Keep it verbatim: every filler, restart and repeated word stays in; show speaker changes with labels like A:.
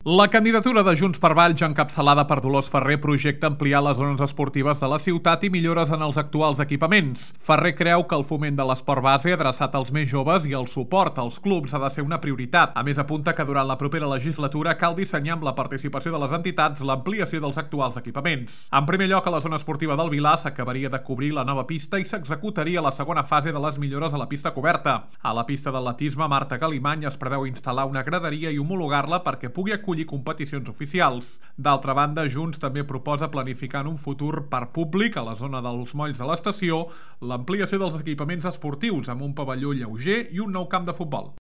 A: La candidatura de Junts per Valls, encapçalada per Dolors Ferrer, projecta ampliar les zones esportives de la ciutat i millores en els actuals equipaments. Ferrer creu que el foment de l'esport base adreçat als més joves i el suport als clubs ha de ser una prioritat. A més, apunta que durant la propera legislatura cal dissenyar amb la participació de les entitats l'ampliació dels actuals equipaments. En primer lloc, a la zona esportiva del Vilar s'acabaria de cobrir la nova pista i s'executaria la segona fase de les millores a la pista coberta. A la pista d'atletisme Marta Galimany es preveu instal·lar una graderia i homologar-la perquè pugui acollir competicions oficials. D'altra banda, Junts també proposa planificar en un futur parc públic a la zona dels molls de l'estació l'ampliació dels equipaments esportius amb un pavelló lleuger i un nou camp de futbol.